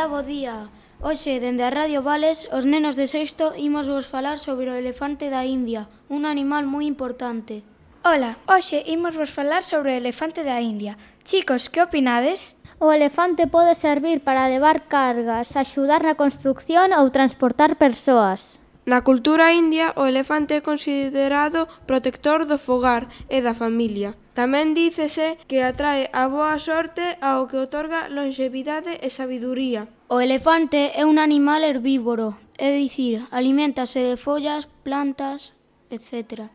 Ola, bo día. Hoxe, dende a Radio Vales, os nenos de sexto imos vos falar sobre o elefante da India, un animal moi importante. Ola, hoxe imos vos falar sobre o elefante da India. Chicos, que opinades? O elefante pode servir para levar cargas, axudar na construcción ou transportar persoas. Na cultura india, o elefante é considerado protector do fogar e da familia. Tamén dícese que atrae a boa sorte ao que outorga longevidade e sabiduría. O elefante é un animal herbívoro, é dicir, aliméntase de follas, plantas, etc.